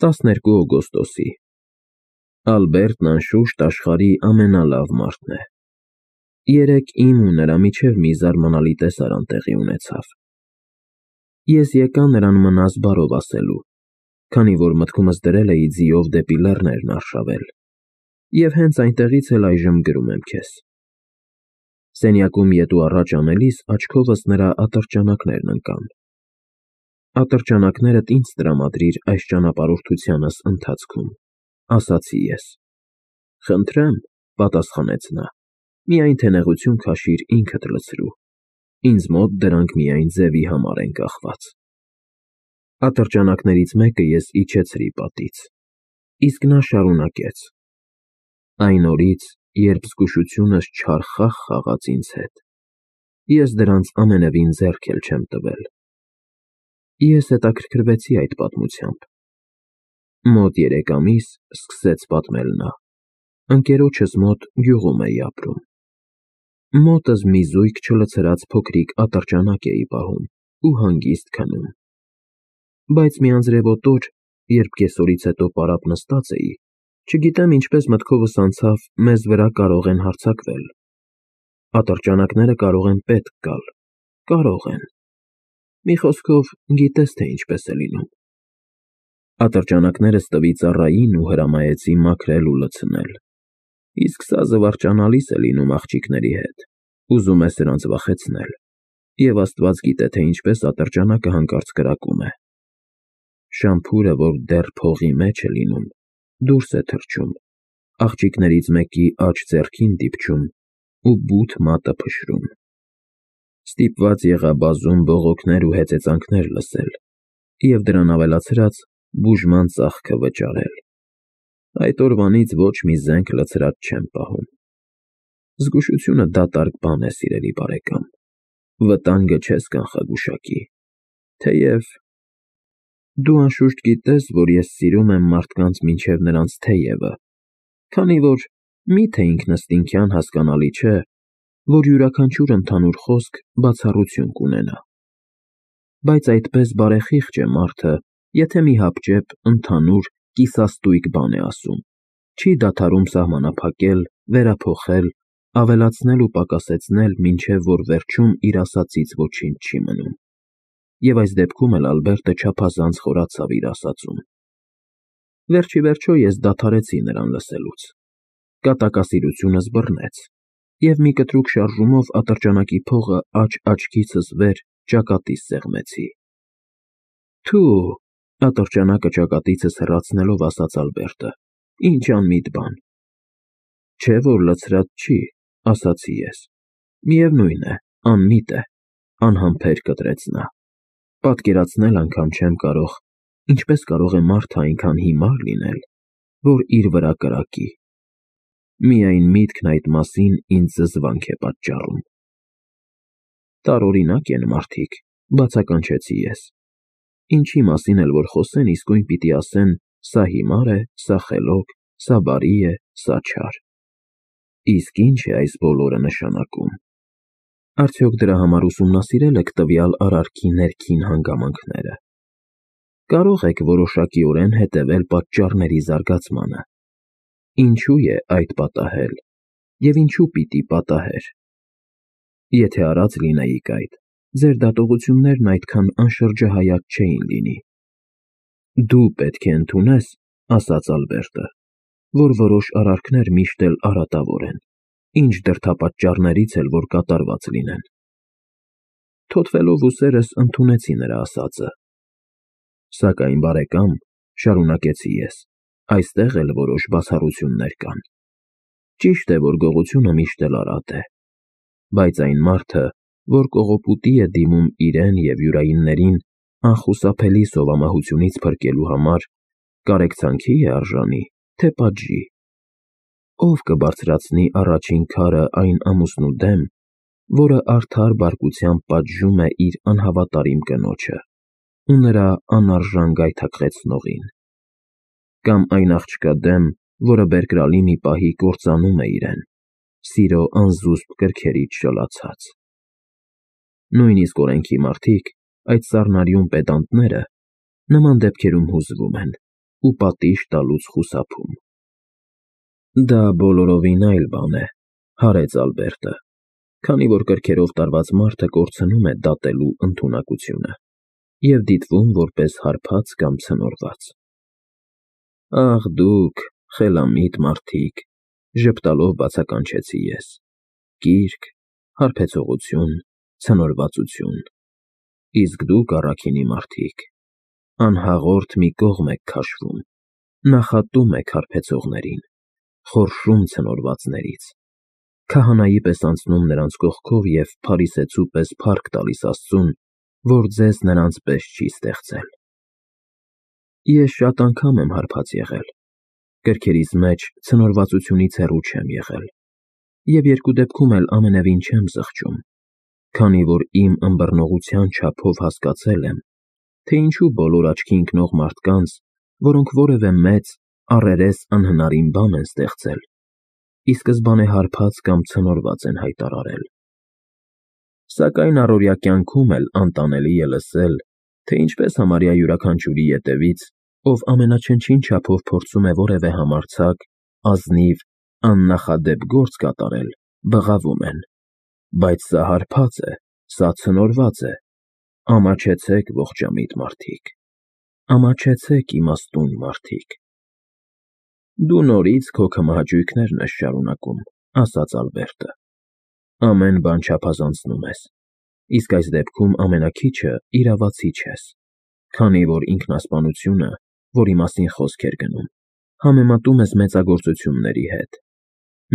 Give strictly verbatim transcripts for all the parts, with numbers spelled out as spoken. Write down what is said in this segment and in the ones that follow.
տասներկու օգոստոսի Ալբերտն անշուշտ աշխարհի ամենալավ մարդն է։ Երեկ իմ ու նրա միջև մի զարմանալի տեսարան տեղի ունեցավ։ Ես եկա նրան մնաս բարով ասելու, քանի որ մտքումս դրել էի ձիով դեպի լեռներն արշավել, և հենց այնտեղից էլ այժմ գրում եմ քեզ։ Սենյակում ետ ու առաջ անելիս աչքովս նրա ատրճանակներն ընկան։ Ատրճանակներդ ինձ տրամադրիր այս ճանապարհորդությանս ընթացքում, ասացի ես։ Խնդրեմ, պատասխանեց նա, միայն թե նեղություն քաշիր ինքդ լցրու, ինձ մոտ դրանք միայն ձևի համար են կախված։ Ատրճանակներից մեկը ես իջեցրի պատից, իսկ նա շարունակեց. Այն օրից, երբ զգուշությունս չար խաղ խաղաց ինձ հետ, ես դրանց ամենևին ձեռք էլ չեմ տվել։ Ես հետաքրքրվեցի այդ պատմությամբ։ Մոտ երեք ամիս, սկսեց պատմել նա, ընկերոջս մոտ գյուղում էի ապրում։ Մոտս մի զույգ չլցրած փոքրիկ ատրճանակ էի պահում ու հանգիստ քնում։ Բայց մի անձրևոտ օր, երբ կեսօրից հետո պարապ նստած էի, չգիտեմ ինչպես մտքովս անցավ, մեզ վրա կարող են հարձակվել։ Ատրճանակները կարող են պետք գալ, կարող են։ Մի խոսքով, գիտես թե ինչպես է լինում։ Ատրճանակներս տվի ծառային ու հրամայեցի մաքրել ու լցնել։ Իսկ սա զվարճանալիս է լինում աղջիկների հետ, ուզում է սրանց վախեցնել, և Աստված գիտե, թե ինչպես ատրճանակը հանկարծ կրակում է։ Շամփուրը, որ դեռ փողի մեջ է լինում, դուրս է թռչում, աղջիկներից մեկի աջ ձեռքին դիպչում ու բութ մատը փշրում։ Ստիպված եղա բազում բողոքներ ու հեծեծանքներ լսել և դրան ավելացրած բուժման ծախքը վճարել։ Այդ օրվանից ոչ մի զենք լցրած չեմ պահում։ Զգուշությունը դատարկ բան է, սիրելի բարեկամ, վտանգը չես կանխագուշակի, թեև… Դու անշուշտ գիտես, որ ես սիրում եմ մարդկանց մինչև նրանց թեյևը, քանի որ մի՞թե ինքնըստինքյան հասկանալի չէ, որ յուրաքանչյուր ընդհանուր խոսք բացառություն կունենա։ Բայց այդպես բարեխիղճ է մարդը, եթե մի հապճեպ, ընդհանուր, կիսաստույկ բան է ասում, չի դադարում սահմանափակել, վերափոխել, ավելացնել ու պակասեցնել, մինչև որ վերջում իր ասածից ոչինչ չի մնում։ Եվ այս դեպքում էլ Ալբերտը չափազանց խորացավ իր ասածում։ Վերջիվերջո ես դադարեցի նրան լսելուց։ Կատակասիրությունս բռնեց, և մի կտրուկ շարժումով ատրճանակի փողը աջ աչքիցս վեր ճակատիս սեղմեցի։ Թու, ատրճանակը ճակատիցս հեռացնելով ասաց Ալբերտը, ինչ անմիտ բան։ Չէ որ լցրած չի, ասացի ես։ Միևնույն է, անմիտ է, անհամբեր կտրեց նա։ Պատկերացնել անգամ չեմ կարող, ինչպես կարող է մարդը այնքան հիմար լինել, որ իր վրա կրակի։ Միայն միտքն այդ մասին ինձ զզվանք է պատճառում։ Տարօրինակ են մարդիկ, բացականչեցի ես։ Ինչի մասին էլ որ խոսեն, իսկույն պիտի ասեն՝ սա հիմար է, սա խելոք, սա բարի է, սա չար։ Իսկ ի՞նչ է այս բոլորը նշանակում։ Արդյոք դրա համար ուսումնասիրել եք տվյալ արարքի ներքին հանգամանքները։ Կարող եք որոշակիորեն հետևել պատճառների զարգացմանը։ Ինչու է այդ պատահել, և ինչու պիտի պատահեր։ Եթե արած լինեիք այդ, ձեր դատողություններն այդքան անշրջահայաց չէին լինի։ Դու պետք է ընդունես, ասաց Ալբերտը, որ որոշ արարքներ միշտ էլ արատավոր են, ինչ դրդապատճառներից էլ որ կատարված լինեն։ Թոթվելով ուսերս ընդունեցի նրա ասածը։ Սակայն, բարեկամ, շարունակեցի ես, այստեղ էլ որոշ բացառություններ կան։ Ճիշտ է, որ գողությունը միշտ էլ արատ է, բայց այն մարդը, որ կողոպուտի է դիմում իրեն և յուրայիններին անխուսափելի սովամահությունից փրկելու համար, կարեկցանքի է արժանի, թե պատժի։ Ո՞վ կբարձրացնի առաջին քարը այն ամուսնու դեմ, որը արդար բարկությամբ պատժում է իր անհավատարիմ կնոջը ու նրա անարժան գայթակղեցնողին։ Կամ այն աղջկա դեմ, որը բերկրալի մի պահի կործանում է իրեն, սիրո անզուսպ կրքերից շլացած։ Նույնիսկ օրենքի մարդիկ, այդ սառնարյուն պեդանտները, նման դեպքերում հուզվում են, ու պատիժ տալուց խուսափում։ Դա բոլորովին այլ բան է, հարեց Ալբերտը, քանի որ կրքերով տարված մարդը կորցնում է դատելու ընդունակությունը և դիտվում որպես հարբած կամ ցնորված։ Ախ դուք, խելամիտ մարդիկ, ժպտալով բացականչեցի ես, կիրք, հարբեցողություն, ցնորվածություն, իսկ դուք առաքինի մարդիկ, անհաղորդ մի կողմ եք քաշվում, նախատում եք հարբեցողներին, խորշում ցնորվածներից, քահանայի պես անցնում նրանց կողքով և փարիսեցու պես փառք տալիս Աստծուն, որ ձեզ նրանց պես չի ստեղծել։ Ես շատ անգամ եմ հարբած եղել, կրքերիս մեջ ցնորվածությունից հեռու չեմ եղել, և երկու դեպքում էլ ամենևին չեմ զղջում, քանի որ իմ ըմբռնողության չափով հասկացել եմ, թե ինչու բոլոր աչքի ընկնող մարդկանց, որոնք որևէ մեծ, առերես անհնարին բան են ստեղծել, ի սկզբանե հարբած կամ ցնորված են հայտարարել։ Սակայն առօրյա կյանքում էլ անտանելի է լսել, թե ինչպես համարյա յուրաքանչյուրի ետևից, ով ամենաչնչին չափով փորձում է որևէ համարձակ, ազնիվ, աննախադեպ գործ կատարել, բղավում են. բայց սա հարբած է, սա ցնորված է, ամաչեցեք ողջամիտ մարդիկ, ամաչեցեք իմաստուն մարդիկ։ Դու նորից քո քմահաճույքներն ես շարունակում, ասաց Ալբերտը, ամեն բան չափազանցնում ես, իսկ այս դեպքում ամենաքիչը իրավացի չես, քանի որ ինքնասպանությունը, որի մասին խոսք էր գնում, համեմատում ես մեծագործությունների հետ,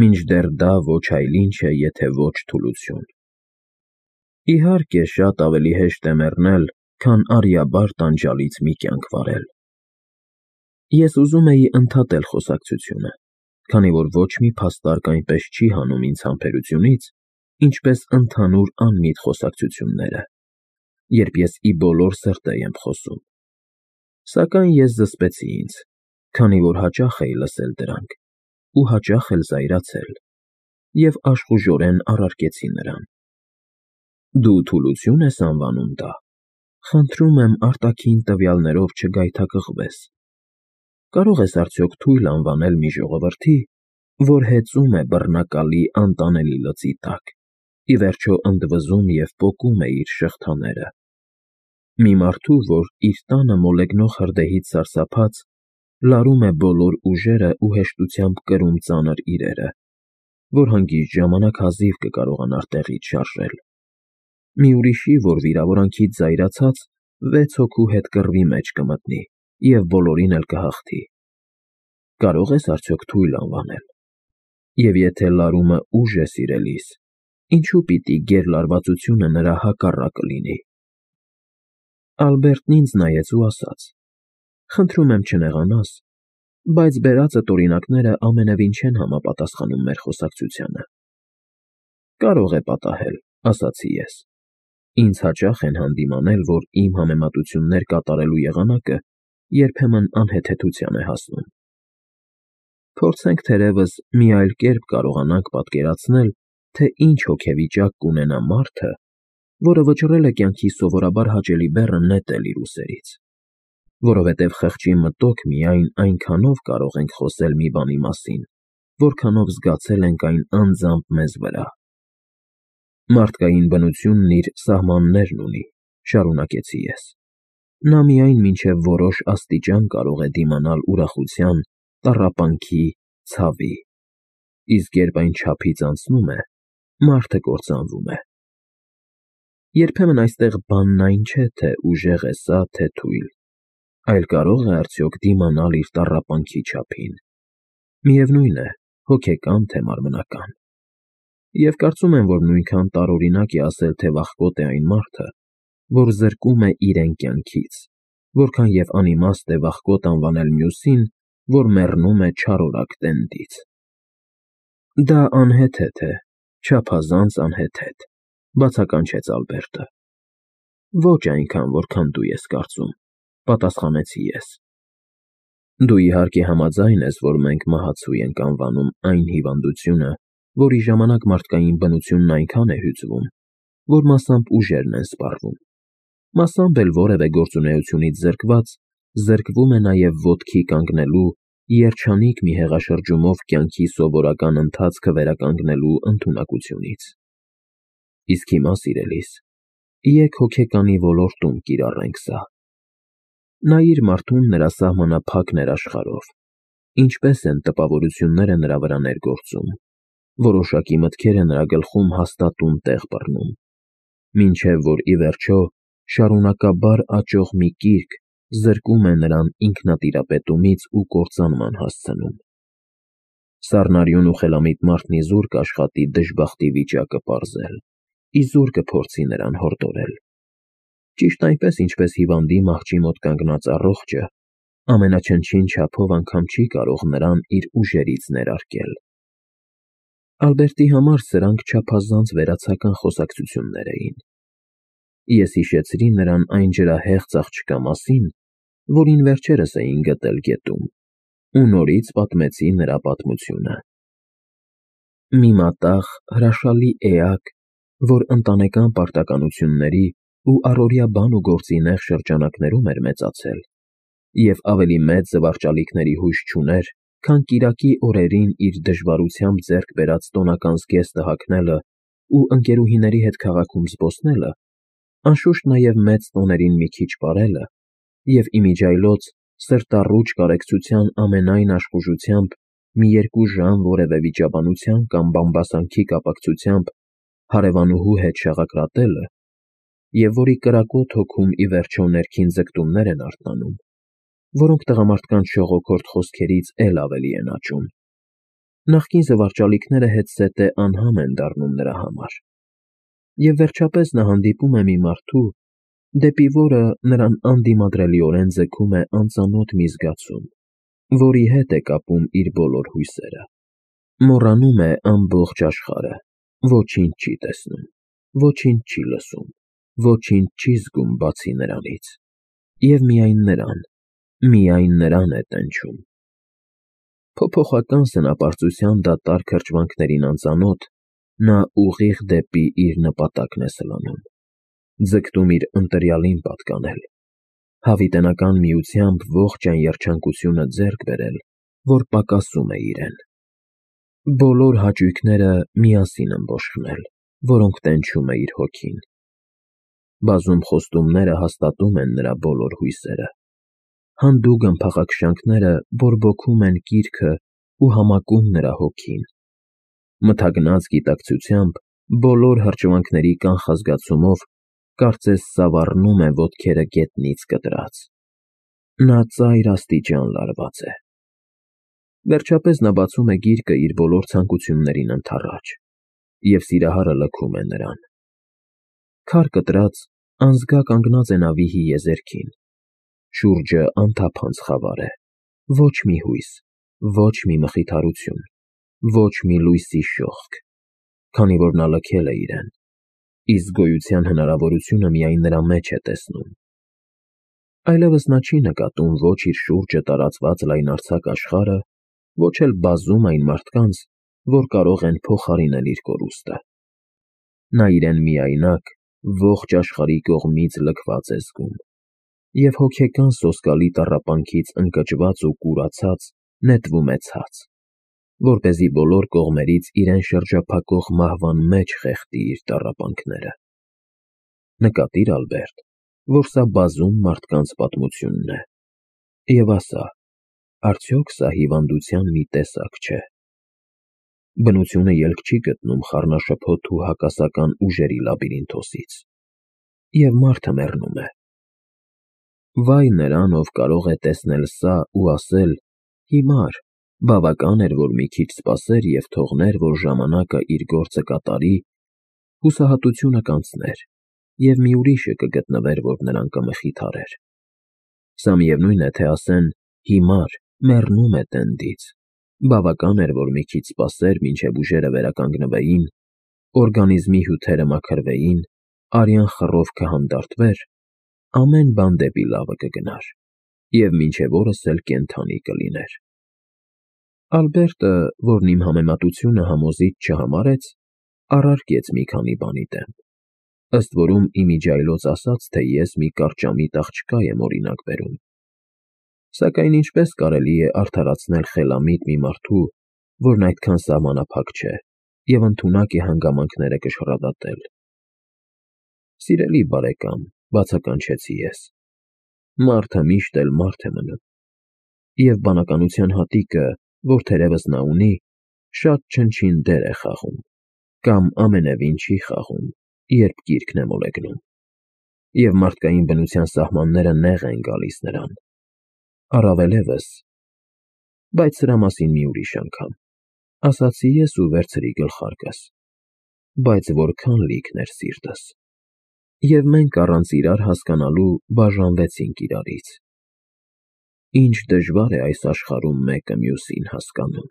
մինչդեռ դա ոչ այլ ինչ է, եթե ոչ թուլություն։ Իհարկե, շատ ավելի հեշտ է մեռնել, քան արյաբար տանջալից մի կյանք վարել։ Ես ուզում էի ընդհատել խոսակցությունը, քանի որ ոչ մի փաստարկ այնպես չի հանում ինձ համբերությունից, ինչպես ընդհանուր անմիտ խոսակցությունները, երբ ես ի բոլոր սրտե եմ խոսում։ Սակայն ես զսպեցի ինձ, քանի որ հաճախ էի լսել դրանք, ու հաճախ էլ զայրացել, և աշխուժորեն առարկեցի նրան. Դու թուլություն ես անվանում դա, խնդրում եմ արտաքին տվյալներով չգայթակղվես։ Կարո՞ղ ես արդյոք թույլ անվանել մի ժողովրդի, որ հեծում է բռնակալի անտանելի լծի տակ, ի վերջո ընդվզում և պոկում է իր շղթաները, մի մարդու, որ իր տանը մոլեգնող հրդեհից սարսափած, լարում է բոլոր ուժերը ու հեշտությամբ կրում ծանր իրերը, որ հանգիստ ժամանակ հազիվ կկարողանար տեղից շարժել, մի ուրիշի, որ վիրավորանքից զայրացած, վեց հոգու հետ կռվի մեջ կմտնի և բոլորին էլ կհաղթի։ Կարո՞ղ ես արդյոք թույլ անվանել։ Եվ եթե լարումը ուժ է սիրելիս, ինչու պիտի գերլարվածությունը նրա հակառակը լինի։ Ալբերտն ինձ նայեց ու ասաց. խնդրում եմ չնեղանաս, բայց բերածդ օրինակները ամենևին չեն համապատասխանում մեր խոսակցությանը։ Կարող է պատահել, ասացի ես։ Ինձ հաճախ են հանդիմանել, որ իմ համեմատություններ կատարելու եղանակը երբեմն անհեթեթության է հասնում։ Փորձենք թերևս մի այլ կերպ կարողանանք պատկերացնել, թե ինչ հոգեվիճակ կունենա մարդը, որը վճռել է կյանքի սովորաբար հաճելի բեռը նետել իր ուսերից, որովհետև խղճի մտոք միայն այնքանով կարող ենք խոսել մի բանի մասին, որքանով զգացել ենք այն անձամբ մեզ վրա։ Մարդկային բնությունն իր սահմաններն ունի, շարունակեցի ես։ Նա միայն մինչև որոշ աստիճան կարող է դիմանալ ուրախության, տառապանքի, ցավի, իսկ երբ այն չափից անցնում է, մարդը կործանվում է։ Երբեմն այստեղ բանն այն չէ, թե ուժեղ է սա, թե թույլ, այլ կարող է արդյոք դիմանալ իր տառապանքի չափին, միևնույն է, հոգեկան, թե մարմնական։ Եվ կարծում եմ, որ նույնքան տարօրինակ է ասել, թե վախկոտ է այն մարդը, որ զրկում է իրեն կյանքից, որքան և անիմաստ է վախկոտ անվանել մյուսին, որ մեռնում է չարորակ տենդից։ Դա անհեթեթ է, չափազանց անհեթեթ, բացականչեց Ալբերտը։ Ոչ այնքան, որքան դու ես կարծում, պատասխանեցի ես։ Դու իհարկե համաձայն ես, որ մենք մահացու ենք անվանում այն հիվանդությունը, որի ժամանակ մարդկային բնությունն այնքան է հյուծվում, որ մասամբ ուժերն են սպառվում, մասամբ էլ որևէ գործունեությունից զրկված, զրկվում է նաև ոտքի կանգնելու, երջանիկ մի հեղաշրջումով կյանքի սովորական ընթացքը վերականգնելու ընդունակությունից։ Իսկ հիմա, սիրելիս, եկ հոգեկանի ոլորտում կիրառենք սա։ Նայիր մարդուն նրա սահմանափակ ներաշխարհով, ինչպես են տպավորությունները նրա վրա ներգործում, որոշակի մտքերը նրա գլխում հաստատուն տեղ բռնում, մինչև որ ի վերջո շարունակաբար աճող մի կիրք զրկում է նրան ինքնատիրապետումից ու կործանման հասցնում։ Սառնարյուն ու խելամիտ մարդն իզուր կաշխատի դժբախտի վիճակը պարզել, իզուր կփորձի նրան հորդորել։ Ճիշտ այնպես, ինչպես հիվանդի մահճի մոտ կանգնած առողջը ամենաչնչին չափով անգամ չի կարող նրան իր ուժերից ներարկել։ Ալբերտի համար սրանք չափազանց վերացական խոսակցություններ էին։ Ես հիշեցրի նրան այն ջրահեղձ աղջկա մասին, որին վերջերս էին գտել գետում, ու նորից պատմեցի նրա պատմությունը։ Մի մատաղ, հրաշալի էակ, որ ընտանեկան պարտականությունների ու առօրյա բան ու գործի նեղ շրջանակներում էր մեծացել, և ավելի մեծ զվարճալիքների հույս չուներ, քան կիրակի օրերին իր դժվարությամբ ձեռք բերած տոնական զգեստը հագնելը ու ընկերուհիների հետ քաղաքում զբոսնելը, անշուշտ նաև մեծ տոներին մի քիչ պարելը և իմիջիայլոց սրտառուչ կարեկցության ամենայն աշխուժությամբ մի երկու ժամ որևէ վիճաբանության կամ բամբասանքի կապակցությամբ հարևանուհու հետ շաղակրատելը, և որի կրակոտ հոգում ի վերջո ներքին ձգտումներ են արթնանում, որոնք տղամարդկանց շողոքորթ խոսքերից էլ ավելի են աճում։ Նախկին զվարճալիքները հետզհետե անհամ են դառնում նրա համար։ Եվ վերջապես նա հանդիպում է մի մարդու, դեպի որը նրան անդիմադրելիորեն ձգում է անծանոթ մի զգացում, որի հետ է կապում իր բոլոր հույսերը։ Մոռանում է ամբողջ աշխարհը, ոչինչ չի տեսնում, ոչինչ չի լսում, ոչինչ չի զգում բացի նրանից, և միայն նրան, միայն նրան է տենչում։ Փոփոխական սնապարծության դատարկ հրճվանքներին անծանոթ, նա ուղիղ դեպի իր նպատակն է սլանում, ձգտում իր ընտրյալին պատկանել, հավիտենական միությամբ ողջ այն երջանկությունը ձեռք բերել, որ պակասում է իրեն։ Բոլոր հաճույքները միասին ըմբոշխնել, որոնք տենչում է իր հոգին։ Բազում խոստումները հաստատում են նրա բոլոր հույսերը։ Հանդուգն փախաքշանքները բորբոքում են կիրքը ու համակում նրա հոգին։ Մթագնած գիտակցությամբ, բոլոր հրճվանքների կանխազգացումով, կարծես սավառնում է ոտքերը գետնից կտրած։ Նա ծայր աստիճան լարված է։ Վերջապես նա բացում է գիրկը իր բոլոր ցանկություններին ընդառաջ, և սիրահարը լքում է նրան։ Քար կտրած, անզգա կանգնած է նա վիհի եզերքին։ Շուրջը անթափանց խավար է, ոչ մի հույս, ոչ մի մխիթարություն, ոչ մի լույսի շողք, քանի որ նա լքել է իրեն, իսկ գոյության հնարավորությունը միայն նրա մեջ է տեսնում։ Այլևս նա չի նկատում ոչ իր շուրջը տարածված լայնարձակ աշխարհը, ոչ էլ բազում այն մարդկանց, որ կարող են փոխարինել իր կորուստը։ Նա իրեն միայնակ, ողջ աշխարհի կողմից լքված է զգում, և հոգեկան սոսկալի տառապանքից ընկճված ու կուրացած նետվում է ցած, որպեսզի բոլոր կողմերից իրեն շրջափակող մահվան մեջ խեղդի իր տառապանքները։ Նկատի՛ր, Ալբերտ, որ սա բազում մարդկանց պատմությունն է, և ասա, արդյոք սա հիվանդության մի տեսակ չէ։ Բնությունը ելք չի գտնում խառնաշփոթ ու հակասական ուժերի լաբիրինթոսից, և մարդը մեռնում է։ Վայ նրան, ով կարող է տեսնել սա ու ասել. «Հիմար, բավական էր, որ մի քիչ սպասեր և թողներ, որ ժամանակը իր գործը կատարի, հուսահատությունը կանցներ, և մի ուրիշը կգտնվեր, որ նրան կմխիթարեր»։ Սա միևնույն է, թե ասեն. «Հիմար, մեռնում է տենդից, բավական էր, որ մի քիչ սպասեր, մինչև ուժերը վերականգնվեին, օրգանիզմի հյութերը մաքրվեին, արյան խռովքը հանդարտվեր, ամեն բան դեպի լավը կգնար, և մինչև օրս էլ կենդանի կլիներ»։ Ալբերտը, որն իմ համեմատությունը համոզիչ չհամարեց, առարկեց մի քանի բանի դեմ, ըստ որում իմիջիայլոց ասաց, թե ես մի կարճամիտ աղջկա եմ օրինակ բերում։ Սակայն ինչպես կարելի է արդարացնել խելամիտ մի մարդու, որն այդքան սահմանափակ չէ և ընդունակ է հանգամանքները կշռադատել։ Սիրելի բարեկամ, բացականչեցի ես, մարդը միշտ էլ մարդ է մնում, և բանականության հատիկը, որ թերևս նա ունի, շատ չնչին դեր է խաղում, կամ ամենևին չի խաղում, երբ գիրկն է մոլեգնում, և մարդկային բնության սահմանները նեղ են գալիս նրան, առավելևս… Բայց սրա մասին մի ուրիշ անգամ, ասացի ես ու վերցրի գլխարկս, բայց որքան լիքն էր սիրտս… Եվ մենք առանց իրար հասկանալու բաժանվեցինք իրարից… Ինչ դժվար է այս աշխարհում մեկը մյուսին հասկանում։